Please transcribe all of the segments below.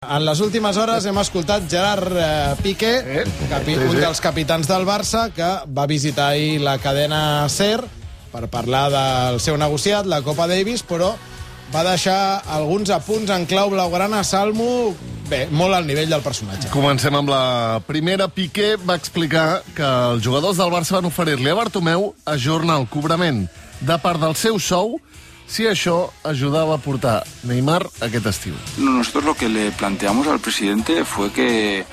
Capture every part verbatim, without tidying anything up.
En les últimes hores hem escoltat Gerard eh, Piqué, Eh? capi, Sí, un sí. dels capitans del Barça, que va visitar ahir la cadena SER per parlar del seu negociat, la Copa Davis, però va deixar alguns apunts en clau blaugrana. Salmo, bé, molt al nivell del personatge. Comencem amb la primera. Piqué va explicar que els jugadors del Barça van oferir-li a Bartomeu ajornar el cobrament de part del seu sou si això ayudaba a portar Neymar aquest estiu. Nosotros lo que le planteamos al presidente fue que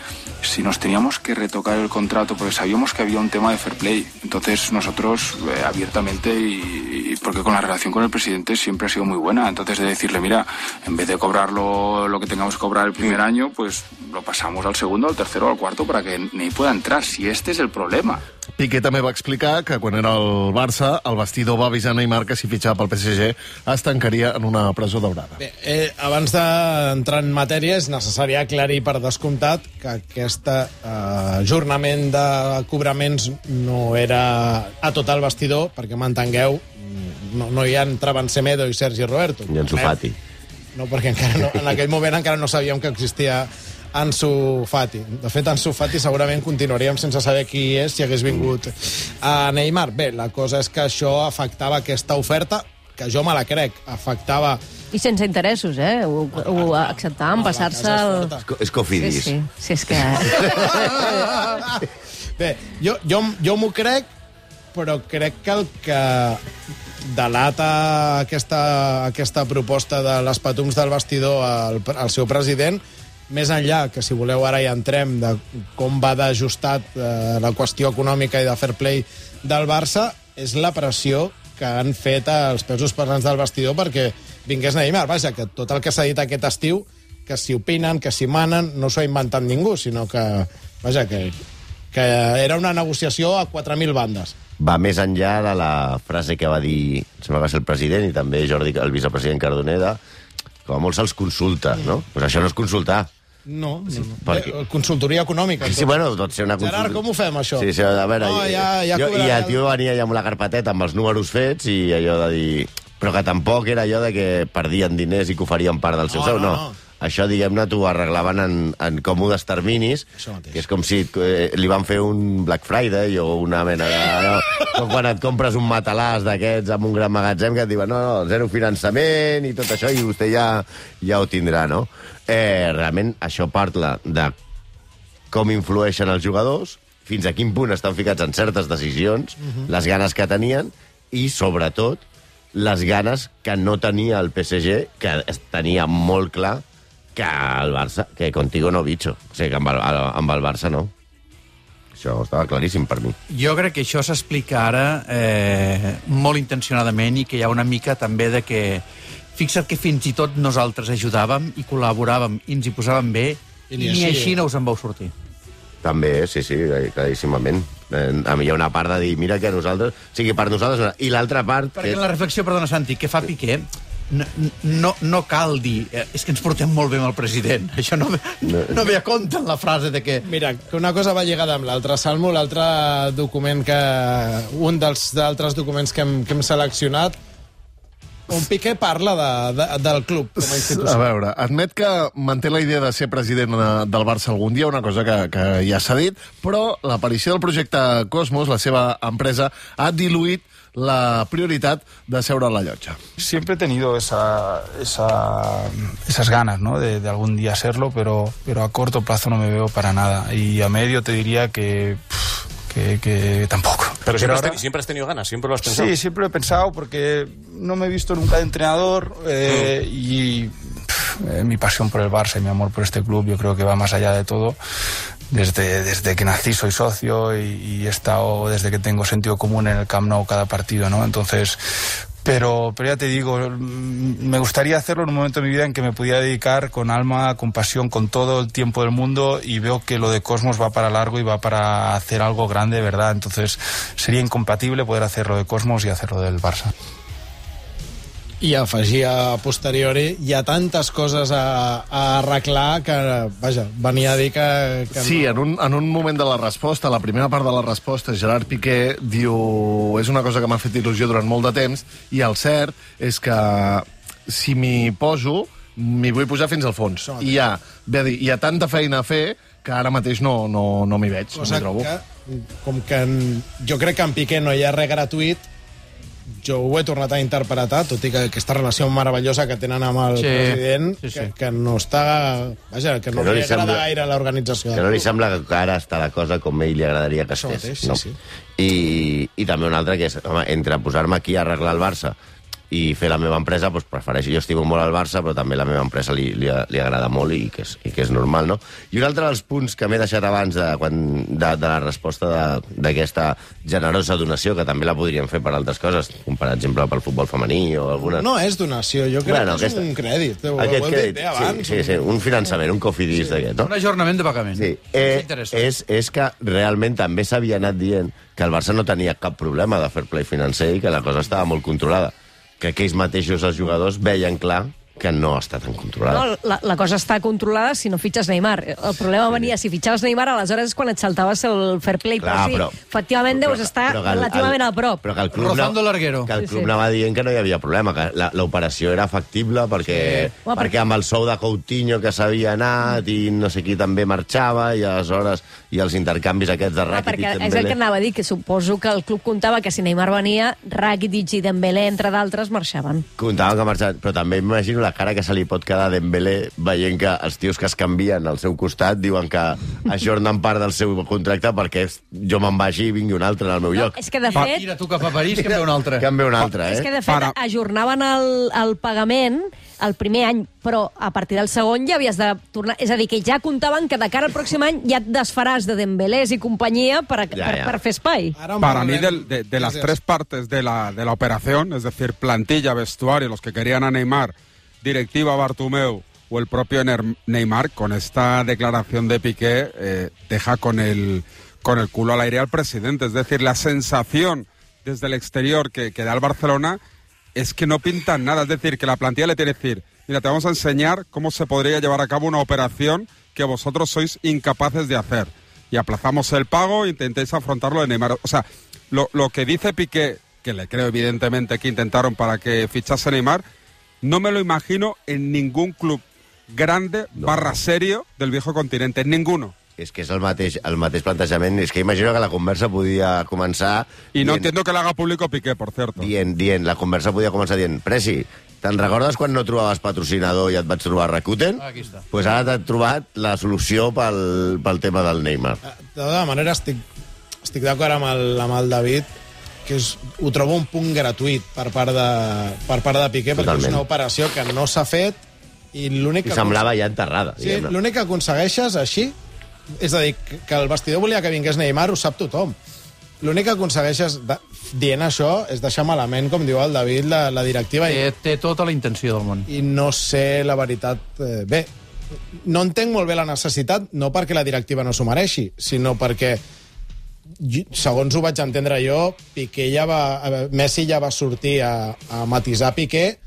si nos teníamos que retocar el contrato, porque sabíamos que había un tema de fair play, entonces nosotros eh, abiertamente, y, y porque con la relación con el presidente siempre ha sido muy buena, entonces de decirle, mira, en vez de cobrarlo lo que tengamos que cobrar el primer año, pues lo pasamos al segundo, al tercero, al cuarto, para que Ney pueda entrar, si este es el problema. Piqué també va explicar que quan era al Barça, el vestidor va avisar Neymar que si fitxava pel P S G es tancaria en una presó daurada. Bé, eh, abans d'entrar en matèria, és necessari aclarir per descomptat que aquest eh, ajornament de cobraments no era a tot el vestidor, perquè m'entengueu, no, no hi entraven Semedo i Sergi Roberto. I Ansu Fati. No, perquè encara no, en aquell moment encara no sabíem que existia Ansu Fati. De fet, Ansu Fati segurament continuaríem sense saber qui és si hagués vingut a Neymar. Bé, la cosa és que això afectava aquesta oferta, que jo me la crec, afectava... I sense interessos, eh? Ho, ho acceptàvem, passar-se... El... És Cofidis. Sí, sí, sí, és que... Bé, jo, jo, jo m'ho crec, però crec que el que delata aquesta, aquesta proposta de les patums del vestidor al, al seu president, més enllà, que si voleu ara ja entrem, de com va d'ajustat eh, la qüestió econòmica i de fair play del Barça, és la pressió que han fet els pesos pesants del vestidor perquè vingués Neymar. Vaja, que tot el que s'ha dit aquest estiu, que si opinen, que si manen, no s'ho ha inventat ningú, sinó que, vaja, que, que era una negociació a quatre mil bandes. Va més enllà de la frase que va dir, sembla que va ser el president i també Jordi, el vicepresident Cardoneda, com a molt se'ls consulta, no? Pues això no és consultar. No, no, no. Perquè... Eh, consultoria econòmica. Sí, bueno, pot ser una consulta. Gerard, com ho fem, això? Sí, sí, a veure... No, ja, ja jo, cobrarà... I el tio venia ja amb la carpeteta amb els números fets i allò de dir... Però que tampoc era allò de que perdien diners i que oferien part del seu No, sou, no, no. no. Això, diguem-ne, t'ho arreglaven en, en còmodes terminis, que és com si eh, li van fer un Black Friday o una mena de... No, com quan et compres un matalàs d'aquests amb un gran magatzem que et diuen no, no, zero finançament i tot això i vostè ja, ja ho tindrà, no? Eh, realment, això parla de com influeixen els jugadors, fins a quin punt estan ficats en certes decisions, uh-huh. les ganes que tenien i, sobretot, les ganes que no tenia el P S G, que tenia molt clar que el Barça, que contigo no bicho. O sigui, que amb el, amb el Barça no. Això estava claríssim per mi. Jo crec que això s'explica ara eh, molt intencionadament i que hi ha una mica també de que... Fixa't que fins i tot nosaltres ajudàvem i col·laboràvem i ens hi posàvem bé i ni, ni així. així no us en vau sortir. També, sí, sí, claríssimament. Eh, a mi hi ha una part de dir, mira que nosaltres... O sigui, per nosaltres... I l'altra part... Perquè que... la reflexió, perdona, Santi, que fa Piqué... No, no, no cal dir, eh, és que ens portem molt bé amb el president. Això no, no, no ve a compte en la frase de que... Mira, que una cosa va lligada amb l'altra. Salmo, l'altre document que... Un dels altres documents que hem, que hem seleccionat, on Piqué parla de, de, del club com a institució. A veure, admet que manté la idea de ser president del Barça algun dia, una cosa que, que ja s'ha dit, però l'aparició del projecte Cosmos, la seva empresa, ha diluït la prioridad de seure a la llotja. Siempre he tenido esa, esa, esas ganas, ¿no? de, de algún día serlo, pero, pero a corto plazo no me veo para nada. Y a medio te diría que... Que, que tampoco. Pero siempre, ahora... has ten, siempre has tenido ganas, siempre lo has pensado. Sí, siempre lo he pensado porque no me he visto nunca de entrenador eh, mm. y pff, eh, mi pasión por el Barça y mi amor por este club yo creo que va más allá de todo. Desde, desde que nací soy socio y, y he estado desde que tengo sentido común en el Camp Nou cada partido, ¿no? Entonces... Pero, pero ya te digo, me gustaría hacerlo en un momento de mi vida en que me pudiera dedicar con alma, con pasión, con todo el tiempo del mundo y veo que lo de Cosmos va para largo y va para hacer algo grande, ¿verdad? Entonces sería incompatible poder hacerlo de Cosmos y hacerlo del Barça. I afegia a posteriori, hi ha tantes coses a, a arreglar que, vaja, venia a dir que... que sí, no... en un, en un moment de la resposta, la primera part de la resposta, Gerard Piqué diu és una cosa que m'ha fet il·lusió durant molt de temps i el cert és que si m'hi poso m'hi vull posar fins al fons. I hi ha, bé dir, hi ha tanta feina a fer que ara mateix no, no, no m'hi veig, no m'hi trobo. Que, com que en, jo crec que en Piqué no hi ha res gratuït, jo ho he tornat a interpretar, tot i que aquesta relació meravellosa que tenen amb el sí, president, sí, sí. Que, que no està... Vaja, que no, que no li li agrada sembla, gaire l'organització. Que no li sembla que ara està la cosa com a ell li agradaria que Això estés. mateix, no? sí, sí. I, I també una altra, que és, home, entre posar-me aquí a arreglar el Barça i fer la meva empresa, doncs prefereixo. Jo estimo molt al Barça, però també la meva empresa li, li, li agrada molt i que, és, i que és normal, no? I un altre dels punts que m'he deixat abans de, quan, de, de la resposta d'aquesta generosa donació, que també la podríem fer per altres coses, com per exemple pel futbol femení o alguna... No és donació, jo crec bueno, que és aquesta... un crèdit. Ho, Aquest ho crèdit, bé abans. sí, sí, sí, un finançament, un cofidis sí. d'aquest, no? Un ajornament de pagament. Sí. Eh, és, és que realment també s'havia anat dient que el Barça no tenia cap problema de fair play financer i que la cosa estava molt controlada. Que aquells mateixos els jugadors veien clar que no està tan controlada. No, la, la cosa està controlada si no fitxes Neymar. El problema venia, si fitxaves Neymar, aleshores és quan et saltaves el fair play. Clar, però sí, però, efectivament però, deus estar però que el, relativament el, a prop. Però que el club, Rozando no, larguero. que el Sí, club sí. anava dient que no hi havia problema, que l'operació era factible perquè, Sí. Home, perquè amb el sou de Coutinho que s'havia anat i no sé qui també marxava i aleshores i els intercanvis aquests de Ah, Rakitic perquè i és el Dembélé. que anava a dir, que suposo que el club comptava que si Neymar venia, Rakitic i Dembélé, entre d'altres, marxaven. Comptaven que marxaven, però també m'imagino la cara que se li pot quedar a Dembélé veient que els tios que es canvien al seu costat diuen que ajornen part del seu contracte perquè jo me'n vagi i vingui un altre al meu No, lloc. és que, de Va, fet, tira tu cap a París, que en ve un altre. Que en ve un altre, és eh? que, de fet Para. ajornaven el, el pagament el primer any, però a partir del segon ja havies de tornar... És a dir, que ja comptaven que de cara al pròxim any ja et desfaràs de Dembélés i companyia per, a, Ja, per, ja. per fer espai. Ara en Para mí, parlarem. del- de, de las Gràcies. tres partes de la, de la operación, es decir, plantilla, vestuario, los que querían a Neymar, directiva Bartomeu o el propio Ner- Neymar, con esta declaración de Piqué, eh, deja con el, con el culo al aire al presidente. Es decir, la sensación desde el exterior que, que da el Barcelona es que no pintan nada. Es decir, que la plantilla le tiene que decir, mira, te vamos a enseñar cómo se podría llevar a cabo una operación que vosotros sois incapaces de hacer. Y aplazamos el pago e intentéis afrontarlo de Neymar. O sea, lo, lo que dice Piqué, que le creo evidentemente que intentaron para que fichase Neymar, no me lo imagino en ningún club grande No. barra serio del viejo continente, en ninguno. És que és el mateix, el mateix plantejament. És que imagino que la conversa podia començar... Y no dient, entiendo que le haga público Piqué, por cierto. Dient, dient, la conversa podia començar dient Presi, te'n recordes quan no trobaves patrocinador i et vaig trobar Rakuten? Aquí està. Doncs pues ara t'he trobat la solució pel, pel tema del Neymar. De tota manera, estic, estic d'acord amb, el, amb el David, que és, ho trobo un punt gratuït per part de, per part de Piqué, perquè Totalment. és una operació que no s'ha fet i l'únic I que... semblava ja enterrada, Sí, diguem-ne. l'únic que aconsegueixes així, és a dir, que el vestidor volia que vingués Neymar, ho sap tothom. L'únic que aconsegueixes de, dient això és deixar malament, com diu el David, la, la directiva. Té, I, té tota la intenció del món. I no sé la veritat... Eh, bé, no entenc molt bé la necessitat, no perquè la directiva no s'ho mereixi, sinó perquè, jo- segons ho vaig entendre jo, Piqué ja va, eh, Messi ja va sortir a, a matisar Piqué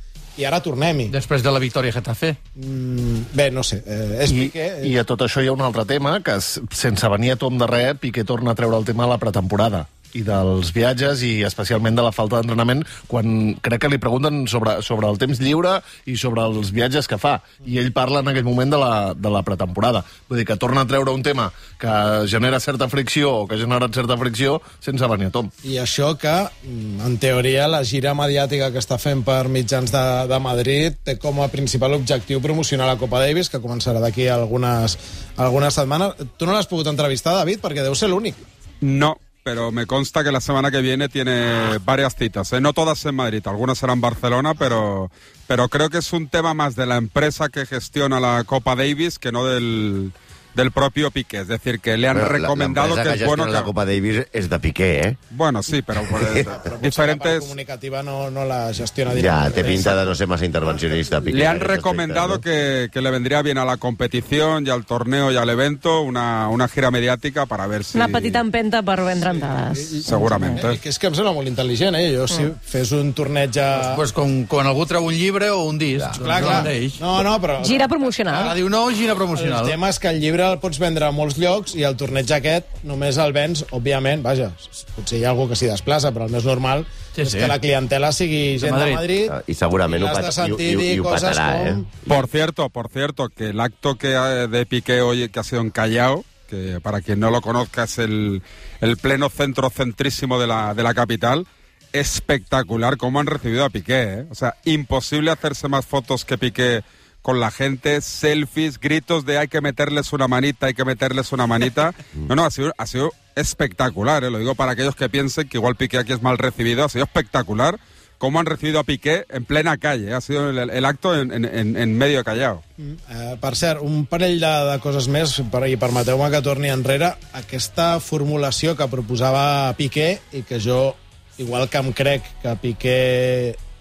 i ara tornem-hi. Després de la victòria a Getafe. Mm, bé, no sé, eh, és I, Piqué... I a tot això hi ha un altre tema, que s- sense venir a tom de res, Piqué torna a treure el tema de la pretemporada i dels viatges i especialment de la falta d'entrenament, quan crec que li pregunten sobre, sobre el temps lliure i sobre els viatges que fa. I ell parla en aquell moment de la, de la pretemporada. Vull dir que torna a treure un tema que genera certa fricció o que ha generat certa fricció sense venir a tom. I això que, mm, en teoria, la gira mediàtica que està fent per mitjans de, de Madrid té com a principal objectiu promocionar la Copa Davis, que començarà d'aquí algunes, algunes setmanes. Tu no l'has pogut entrevistar, David, perquè deu ser l'únic. No, pero me consta que la semana que viene tiene varias citas, ¿eh? No todas en Madrid, algunas serán en Barcelona, pero, pero creo que es un tema más de la empresa que gestiona la Copa Davis que no del, del propio Piqué. Es decir, que le han Bueno, la- recomendado l'empresa que es bueno... gestiona la que- Copa Davis és de Piqué, eh? Bueno, sí, pero por Però potser la part diferentes... comunicativa no, no la gestiona Ja, directament. té pinta de no ser massa intervencionista, Piqué. Le en han aquest recomendado aspecte, ¿no? que, que le vendría bien a la competición y al torneo y al evento una, una gira mediática para ver si... Una petita empenta per vendre entrades. Seguramente. Eh, que és que em sembla molt intel·ligent, eh? Jo, si fes un torneig a... Pues com quan algú treu un llibre o un disc. Clar, clar. Doncs No, no, però... Gira promocional. Ara diu no, gira El promocional. tema és que el llibre lliure el pots vendre a molts llocs i el torneig aquest només el vens, òbviament, vaja, potser hi ha algú que s'hi desplaça, però el més normal sí, és sí. que la clientela sigui gent de Madrid, de Madrid i segurament i ho, de sentir i, i, i ho patarà, com... eh? Por cierto, por cierto, que el acto que de Piqué hoy que ha sido en Callao, que para quien no lo conozca es el, el pleno centro centrísimo de la, de la capital, espectacular cómo han recibido a Piqué, ¿eh? O sea, imposible hacerse más fotos que Piqué con la gente, selfies, gritos de hay que meterles una manita, hay que meterles una manita. No, no, ha sido, ha sido espectacular, ¿eh? Lo digo para aquellos que piensen que igual Piqué aquí es mal recibido, ha sido espectacular cómo han recibido a Piqué en plena calle. Ha sido el, el acto en, en, en medio de Callao. Mm, uh, per cert, un parell de, de coses més, per, i permeteu-me que torni enrere. Aquesta formulació que proposava Piqué, i que jo, igual que em crec que Piqué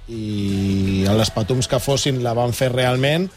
i els patums que fossin la van fer realment,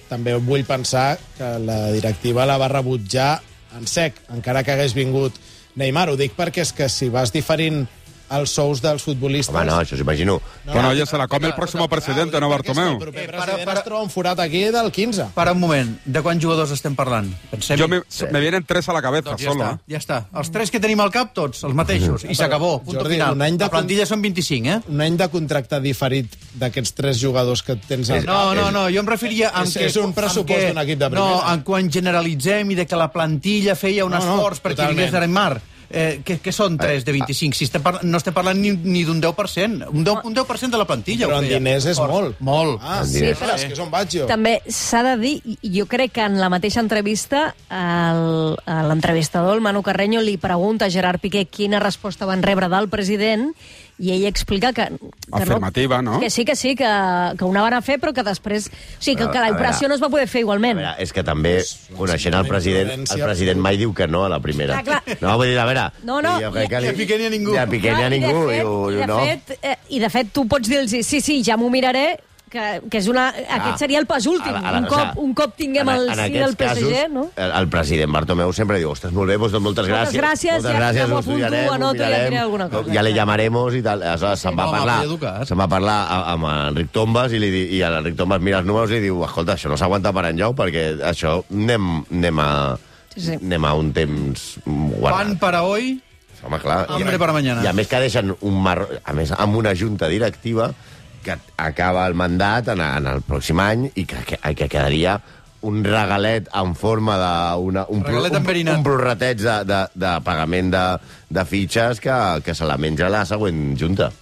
també vull pensar que la directiva la va rebutjar en sec, encara que hagués vingut Neymar. Ho dic perquè és que si vas diferint els sous dels futbolistes... Home, no, això s'imagino. No, bueno, oye, se la come el próximo presidente, no Bartomeu. El proper president es troba un forat aquí del quinze. Para un moment, de quants jugadors estem parlant? Pensem... Jo me, me vienen tres a la cabeza, doncs ja solo. Està, ja està. Els tres que tenim al cap, tots, els mateixos. I s'acabó, punto Jordi, final. Un any de la plantilla són vint-i-cinc, eh? Un any de contracte diferit d'aquests tres jugadors que tens al cap. No, no, no, jo em referia... És, que, és un pressupost d'un equip de primera. No, en quan generalitzem i de que la plantilla feia un no, esforç no, perquè vingués de Neymar. Eh, que, que són tres de vint-i-cinc? Si estem parlant, no estem parlant ni, ni d'un deu per cent. Un deu, un deu per cent de la plantilla. Però en diners és molt. Molt. Ah, sí, però és que és on vaig jo. També s'ha de dir, jo crec que en la mateixa entrevista l'entrevistador, el Manu Carreño, li pregunta a Gerard Piqué quina resposta van rebre del president i ell explica que... que Afirmativa, no? Que sí, que sí, que, que una van a fer, però que després... O sigui, que, que la operació no es va poder fer igualment. A veure, és que també, coneixent el president, el president mai diu que no a la primera. Clar, clar. No, vull dir, a veure... No, no. Ni a Piqué ni a ningú. Ni a Piqué ni a ningú. I de fet, i, i de no. fet, eh, i de fet tu pots dir-los, sí, sí, ja m'ho miraré, que, que és una, ah, aquest seria el pas últim. A la, a la, un, cop, o sigui, un cop tinguem el sí del P S G, casos, no? El, el president Bartomeu sempre diu, ostres, molt bé, doncs moltes gràcies. Moltes gràcies, moltes ja, gràcies, ja m'ho apunto, anoto, ja diré alguna cosa. Ja le llamaremos i tal. Aleshores, se'n va parlar, se'n va parlar amb Enric Tombas i, li, i l'Enric Tombas mira els números i diu, escolta, això no s'aguanta per enlloc perquè això anem, anem, a, sí, sí. anem a un temps guardat. Pan para hoy... Home, clar, hambre para mañana. I a més que deixen un mar... a més, amb una junta directiva que acaba el mandat en, en el pròxim any i que, que, que quedaria un regalet en forma de... Una, un, regalet un, un prorrateig de, de, de pagament de, de fitxes que, que se la menja la següent junta.